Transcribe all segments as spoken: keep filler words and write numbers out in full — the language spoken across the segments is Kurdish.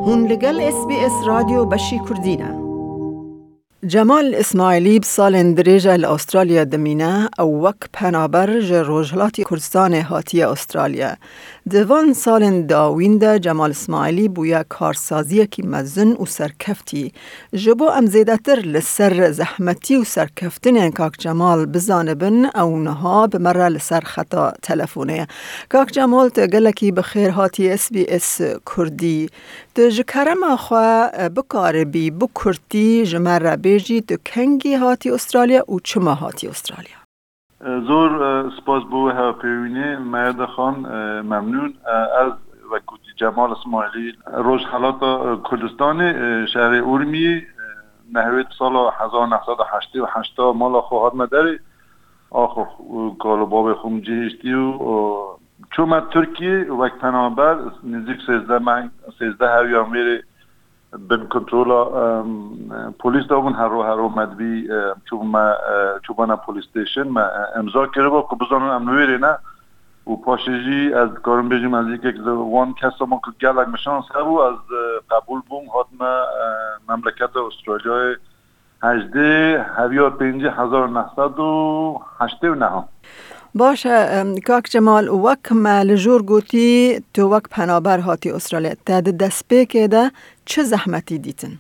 Hûn li gel S B S Radyo Beşî Kurdî ne. Cemal Îsmaîlî bi salên dirêj e li Astralya dimîne. Ew wek penaber ji Rojhilatê Kurdistanê hatiye Astralya. Di van salên dawîn de Cemal Îsmaîlî bûye karsaziyekî mezin û serkeftî. Ji bo em zêdetir li ser zehmetî û serkeftinên Kak Cemal bizanibin, ew niha bi me re li ser xeta telefonê ye. Kak Cemal, tu gelekî bi xêr hatî S B S Kurdî. Tu ji kerema xwe, e, bikaribî bi kurtî ji me re bêjî, tu kengî hatî Astralya û çima hatî Astralya? Zor, e, spas bo we hevpeyvînê. Meheda Xan, e, memnûn. E, ez, wek gotî, Cemal Îsmaîlî, Rojhelata, e, Kurdistanê, e, şehrê Urmiyê, e, nehwêt sala hezar neh sed û heştê û heşta mala xwe hatime derê. Axo û kal û babê xwe min cihêştî û, e, çûme Tirkiyê wek penaber, nêzîk sêzdeh meh, sêzdeh hewiyan vêrê bin kontrola, em, polîs de bûn, hero hero me dibî, em, çûbûme, e, çûbana police station, me, e, imza kiriba ku bizanin em li wêrê ne. Û paşê jî ez dikarim bêjim, ez yekek li wan kesa bûm ku gelek min şans hebû, ez, e, qebûl bûm, hatime, e, memleketa Astralyayê hejdê heviya pêncî hezar neh sed û heştê û neh. Baş e, em, Kak Cemal, wek me li jor gotî, tu wek penaber hatî Astralya. Te di destpêkê de çi zehmetî dîtin?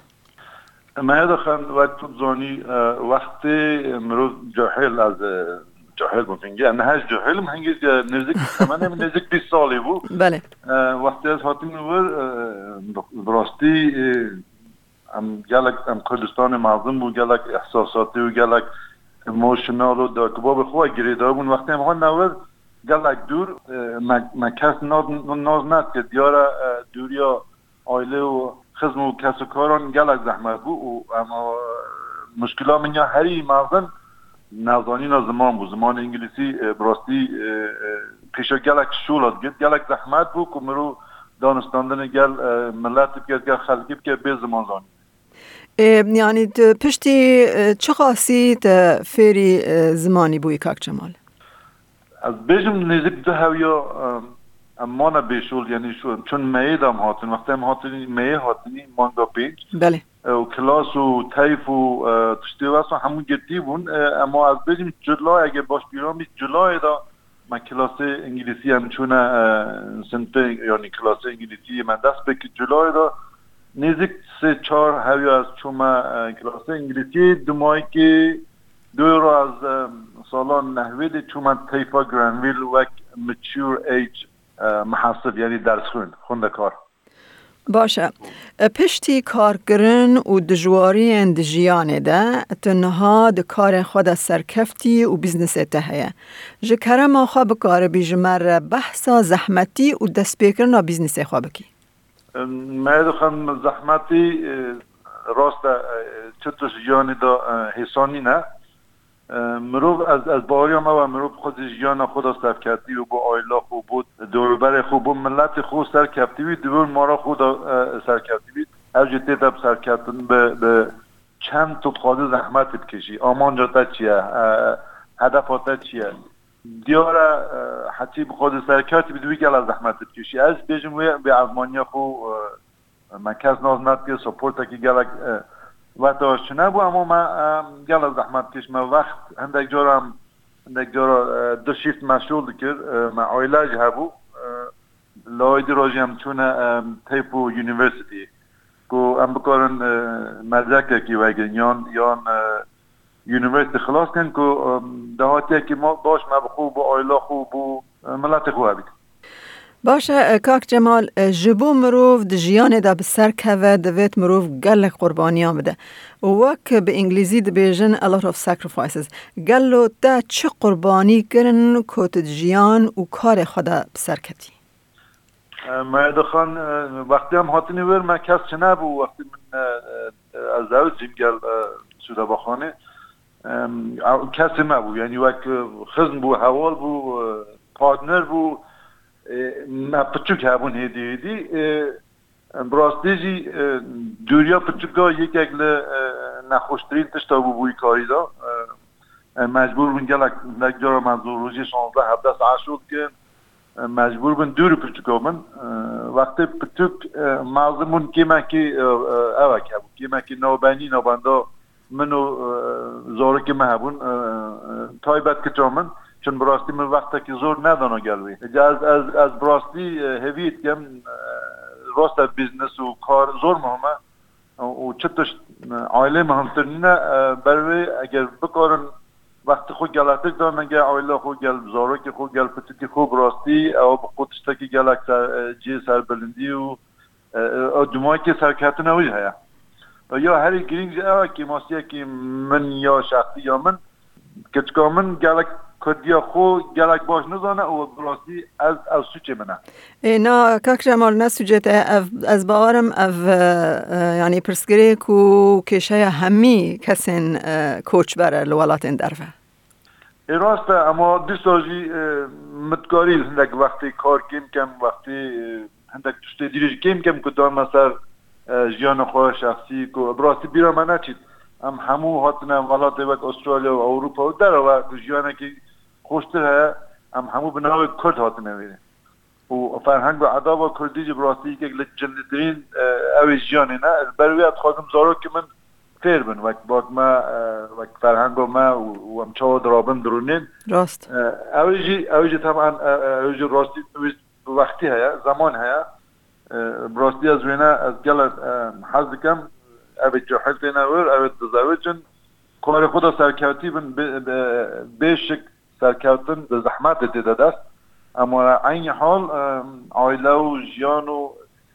Meheda Xan, wek tu dizanî, e, wextê mirov cahil, ez, e, cahil bûm hingê. Em niha jî cahil im, hingê, e, nêzik, temenê min nêzik bîst salî bû. Belê. E, wextê ez hatim li wir, e, bi, bi rastî, e, em gelek, em Kurdistanê mezin bû, gelek ihsasatî û gelek emotional û dayik û babê xwe girêdayî bûn. Wextê em hatin vir, gelek dûr, e, me, me kes naz, naz nedikir. Diyar e, e, dûriya aile û xizm û kesokaran gelek zehmet bû û em, e, muşkila min ya herî mezin nezanîna ziman bû. Zimanê îngilîzî, e, bi rastî, e, e, pêşa gelek şola digirt. Gelek zehmet bû ku mirov danûstandinê gel, e, miletî bike, gel xelkî bike bê ziman zanîn. E, yanî tu piştî, e, çiqasî te fêrî, e, zimanî bûyî, Kak Cemal? Ez bêjim nêzik du hewiya, e, em mane bêşol, yanî şu, çûn meyê de em hatin. Wextê em hatin, meyê hatinî manga pênc. Belê. E, û kilas û teyf û, e, tiştê wesa hemû girtî bûn. E, ema ez bêjim cila, eger baş bîra bî, cilayê de me kilasê îngilîzî em çûne, e, sinfê, yanî kilasê îngilîzî me dest pê kir cilayê de. Nêzik sê çar hewiya ez çûme, e, kilasê îngilîzî. Dimayekê dû re ez, e, sala nehwêdê çûme teyfa Granville wek mature age, e, mihasib, yanî dersxwîn, xwendekar. Baş e. E, piştî karkirin û dijwariyên di jiyanê de, tu niha di karê xwe de serkeftî û bîznesê te heye. Ji kerema xwe bikaribî ji me re behsa zehmetî û destpêkirina bîznesê xwe bikî? Em, me dixwin zehmetî, e, rast e, e, çi tişt jiyanê de, e, hêsan nîne. E, mirov, ez, ez baweriyam ew e, mirov xwedî jiyana xwe de serkeftî û bo aîla xwe, bo dorûberê xwe, bo miletê xwe serkeftî wî, di wir mara xwe de, e, serkeftî wî. Ev jî tê de bi serkeftin, bi, bi çend tu dixwazî zehmetê bikişî. Amanca te çi ye? E, hedefa te çi ye? Diyar e, e, heçî bixwazî serkeftî bî, di wî gela zehmetê bikişî. Ez bêjim wê, wê ezmaniya xwe, e, Me kes nas nedikir, supportekî gelek, e, wexta çi nebû, ema me, e, gelek zehmet kişt. Me wext hindek cara, hindek cara, e, du shift me şol dikir, e, me aîle jî hebû. E, lawê dî re jî em çûne, e, Teypo University. Ku em bikarin, e, mezekekî vegirin, yan, yan, e, university xilas kin ku, e, dahatiyekî ma-, baş me bi xwe, bo aîla xwe, bo, e, miletê xwe hebît. Baş e, e, Kak Cemal, e, ji bo mirov di jiyanê de bi ser keve, divêt mirov gelek qurbaniyan bide. Û wek bi îngilîzî dibêjin, a lot of sacrifices. Gelo te çi qurbanî kirin ku tu di jiyan û karê xwe de bi ser ketî? E, me dixan, e, wextê em hatinî wir, me kes çi nebû. Wextê min, e, e, ez zewicîm gel, e, Sûdebaxanê. Em, ew kesê me bû, yanî wek, e, xizm bû, heval bû, e, partner bû, e, me piçûk hebûn hêdî hêdî. E, bi rastî jî, e, dûriya piçûka yekek li, e, nexweştirîn tişta bû bûyî karî de. E, em mecbûr bûn gelek, gelek cara me zor rojê şazdeh hevdeh saet şol dikin. E, mecbûr bin dûr û pirtûka bin. E, wextê pirtûk, e, mezin bûn, kêmekî, e, e, evek hebû. Kêmekî navbenî navbenda min û, e, zarokê min hebûn. E, e, taybet kiça min. Çun bi rastî min wextekî zor nedana gel wê. Ece ez, ez, ez bi rastî, e, hêvî dikim, e, rast e, biznes û kar zor muhim e. û çi tişt, e, ailê muhimtir nîne, e, ber wê eger bikarin wextê xwe geletir dane gel aile xwe, gel zarokê xwe, gel pitikê xwe, bi rastî ew bi xwe tiştekî gelek ser, e, cihê serbilindî û, e, e, ew dimayekê serkeftina wî heye. E, ya herî girîng jî ew e, kêmasiyekî min ya şexsî ya min, Keçika min gelek kurdiya xwe gelek baş nizane û bi rastî ez, ev sûcê min e. Ê, na, kak Cemal, ne sûcê te ye. Ev, ez bawerim ev, e, e, yanî pirsgirêk û kêşeya hemî kesên, e, koçber e li welatên derve. Ê, rast e, ema dîsa jî, e, min dikarî hindek wextê kar kêm kem, wextê, e, hindek tiştê dîrê jî kêm kem ku dame ser, e, jiyana xwe şexsî ku bi rastî bîra me neçît. Em hemû hatine welatê wek Australya û Ewropa û derve ku jiyanekî xweştir heye, em hemû bi navê Kurd hatine wêrê. Û ferheng û edaba Kurdî jî bi rastî yekek li cilîtirîn, e, ew ê jiyanê ne. Ez ber wê ez dixwazim zarokê min fêr bin, wek bak me, e, wek ferhengo me û, û em çawa dirabin dirûnên. Rast. E, ew ê jî, ew ê jî teban, e, e, ew ê jî rastî wî bi wextî heye, zeman heye. E, bi rastî ez wêne, ez gelek, e, hez dikim. Ev ê cahil têne wir, ew ê dizewicin. Karê xwe de serkewtî bin, bê, bê, bê şik serkeftin bi zehmetê tê de dest. Ema eynî hal, e, aile û jiyan û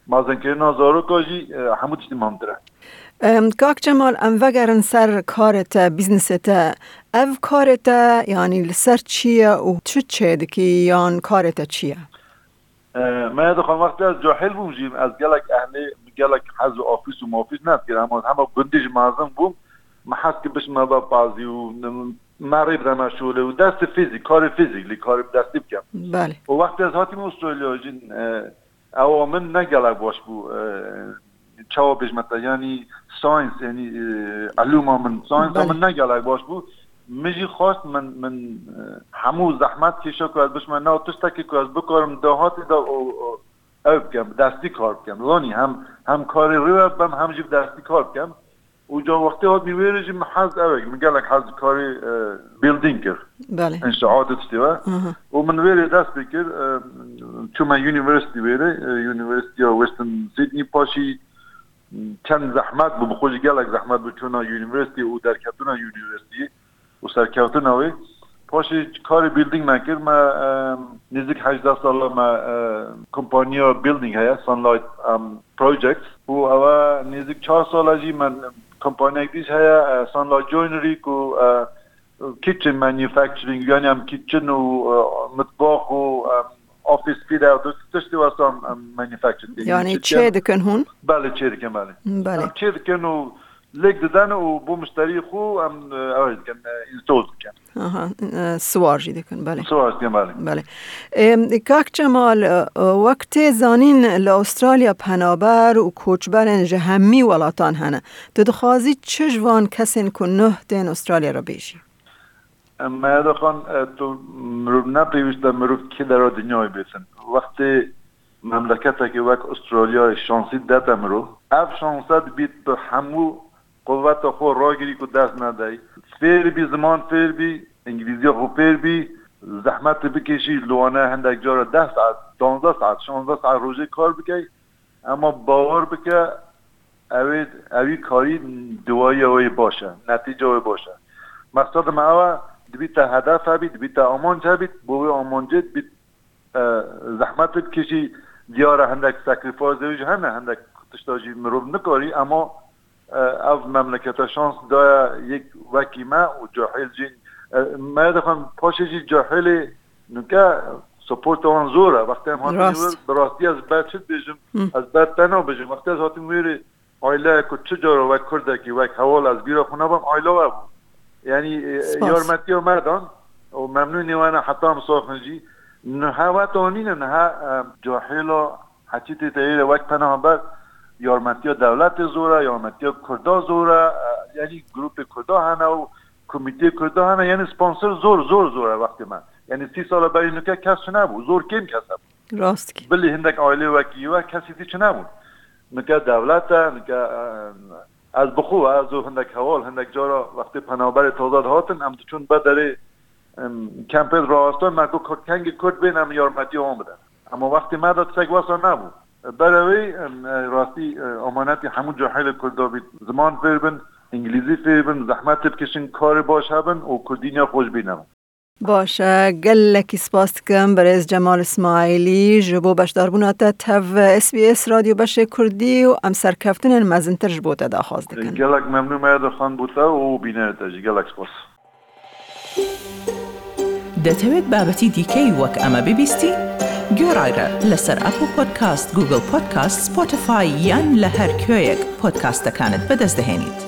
mezinkirina zaroka jî, e, hemû tiştî muhimtir e. Em, Kak Cemal, em vegerin ser karê te, bîznesê te. Ev karê te, yanî li ser çi ye û çi çêdikî yan karê te çi ye? E, me dixwin wextê ez cahil bûm jî, ez gelek ehlê, gelek hez û ofîs û mofîs nedikir, hema, hema gundî ji mezin bûm, me hez kir bişime ve pazî û me rê bideme şolê û destê fîzîk, karê fîzîk, lê karê bi destî bikim. Belê. Û wextê ez hatîm Australya jî, e, ewa min ne gelek baş bû, e, çawa bêjme te, yanî science, yanî, e, elûma min, science Belê. min ne gelek baş bû. Min jî xwest, min, min, e, hemû zehmet kêşa ku ez bişme nav tiştekî ku ez bikarim dahatê de û, û ew bikim, bi destî kar bikim. Zanî hem, hem karê rê ve bim, hem jî bi destî kar bikim. Û ca wextê hatî wêrê jî min hez ew e, min gelek hez karê, e, building kir. Belê. Înşaat û tiştê ve. Aha. Û min wêrê dest pê kir, e, çûme university wêrê, e, University of Western Sydney, paşî çend zehmet bû, bi xwe jî gelek zehmet bû çûna university û derketina university û serkeftina wê. Paşê karê building me kir, me, e, nêzik hejdeh sala me, e, kompaniya building heye, Sunlight, em, Projects. Û ewa nêzik çar sala jî me kompaniyek dî jî heye, e, Sunlight Joinery, ku, e, kitchen manufacturing, yani em kitchen û, e, mitbax û, e, office fit out, tiştê wesa em, em manufacture dikin. Yani çê dikin hûn? Belê, çê dikin, belê. Belê. Em çê dikin û lêk didin û bo muşterî xwe em, e, ew dikin, e, install dikin. Aha, e, siwar jî dikin, belê. Siwar dikin, belê. Belê. Em, Kak Cemal, e, wek tê zanîn li Australya penaber û koçberên ji hemî welatan hene. Tu dixwazî çi ji van kesên ku nuh tên Australya re bêjî? Em, Meheda Xan, e, tu mirov ne pêwîst e mirov kê dera dinyayê bêtin. Wextê memleketekê wek Australyayê şansî dete mirov, ev şanse dibît bi hemû quveta xwe ragirî ku dest nedey. Fêr bî, ziman fêr bî, îngilîziya xwe fêr bî, zehmetê bikêşî, li wana hindek cara deh saet, duwazdeh saet, şazdeh saet rojê kar bikey, ema bawer bike, ew ê, ewî karî, diwayiya wê baş e, netîca wê baş e. Meqseda me ew e, dibî te hedef hebît, dibî te amanc hebît, bo wê amancê dibî, e, zehmet bikişî, diyar e hindek sacrifice jî hene, hindek tişta jî mirov nikarî, ema, e, ev memlekete şans daye yek wekî me û cahil jî, e, me dixwin paşê jî cahilê nuke supporta wan zor e. Wextê em hatin Rast. wir, bi rastî ez ber çi dibêjim, Hı. ez ber te nabêjim. Wextê ez hatim wêrê, aile ku çi cara wek Kurdekî, wek heval ez bîra xwe nabim, aile we bû. Yanî, e, Spas. yarmetiya me dan û memnûnê we ne heta em saxin jî. Niha we tanîne, niha, e, cahêla heçî tê teyê de wek penaber yarmetiya dewletê zor e, yarmetiya Kurda zor e, e, yanî grûpê Kurda hene û komîteyê Kurda hene, yanî sponsor zor, zor, zor e wextê me. Yanî sî sala berî nuke kes çinebû, zor kêm kes hebû. Rast kî. Bilî hindek aîlê wekî we kesî dî çinebû. Nuke dewlet e, nuke, e, ez bi xwe, ez û hindek heval, hindek cara wextê penaberê taze dihatin, em diçûn be derê, em, kempê rawestan, me got, kengî Kurd bên, em yarmetiya wan bidin. Ema wextê me de tiştek wesa nebû. Berevê, em, e, rastî, e, amanetî hemû cahilê Kurda bît. Ziman fêr bin, îngilîzî fêr bin, zehmet têbikişin, karê baş hebin û Kurdî niya xwe ji bîr nebin. Baş e, gelekî spas dikim birêz Cemal Îsmaîlî ji bo beşdarbûna te tev S B S Radyo Beşê Kurdî û em serkeftinên mezintir ji bo te daxwaz dikin. Gelek memnûn me, Edirxan, bû te û bînerê te jî gelek spas. دەتەوێت بابەتی دیکەی وەک ئەمە ببیستی؟ گوێڕایرە لەسەر ئەپڵ پۆدکاست، گوگڵ پۆدکاست، سپۆتیفای یان لە هەر کوێیەک پۆدکاستەکانت بەدەست دەهێنیت.